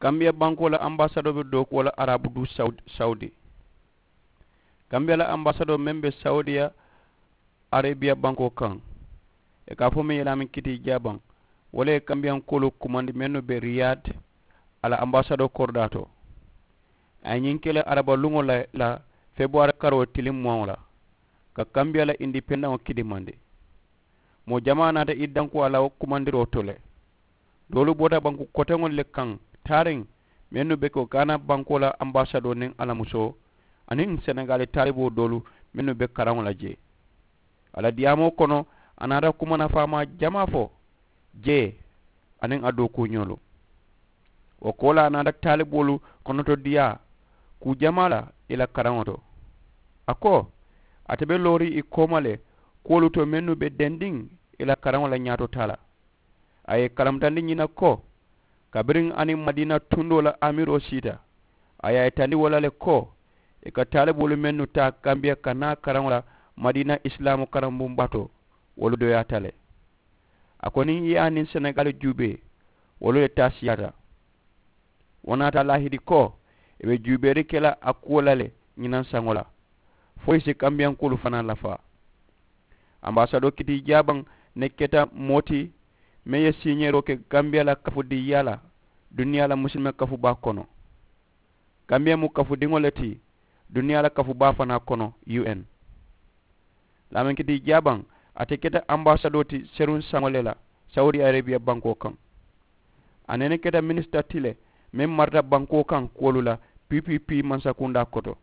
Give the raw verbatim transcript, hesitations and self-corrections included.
Kambiya bankoo la ambasadoo be dookuwo la arabu duu sawudi. Kambiya la ambasadoo meŋ be sawudiya arebiya bankoo kaŋ, ì ka a fo meŋ ye laameŋ kitii jaabaŋ, wo le ye kambiyankoolu kumandi mennu be riyad a la ambasadoo koridaa to. A ye ñiŋ ke le araba luŋo la la febuwaari karoo tiliŋ muwaŋo la, ka kambiya la indipendaŋo kidimandi. Moo jamaa naata i danku a la wo kumandiroo to le. Doolu bota banku koteŋolu le kaŋ taariŋ, mennu be ko gaana bankoo la ambasadoo niŋ a la musoo aniŋ senegaali taaliboo doolu mennu be karaŋo la jee. A la diyaamoo kono, a naata kuma nafaamaa jamaa fo jee aniŋ a dookuuñoolu. Wo koolaa a naata taaliboolu konotodiyaa kuu jamaa la i la karaŋo to. A ko, ate be looriŋ i kooma le kuwolu to mennu be dendiŋ i la karaŋo la ñaato taa la. A ye i kalamutandi ñiŋ na ko, kabiriŋ a niŋ madiina tundoo la amiroo siita, a ye a yitandi wo la le ko, i ka taaliboolu mennu taa kambiya ka naa karaŋo la madiina isilaamu karambuŋ batoo, wolu doyaata le. A ko niŋ i ye a niŋ senegaali juubee, wolu le taa siyaata. Wo naata a laahidi ko, i be juubeeri ke la a kuwo la le ñinaŋ saŋo la, fo i si kambiyankoolu fanaa lafaa. Ambasadoo kitii jaabaŋ ne keta moo ti meŋ ye siiñeeroo ke kambiya la kafudiiyaa la duniyaa la musilime kafubaa kono. Kambiya mu kafudiŋo le ti duniyaa la kafubaa fanaa kono. U N laamenkiti jaabaŋ, ate keta ambasadoo ti seruŋ saŋo le la sawudi arebiya bankoo kaŋ. A nene keta minisita ti le meŋ marata bankoo kaŋ kuwolu la, pp mansakundaa koto.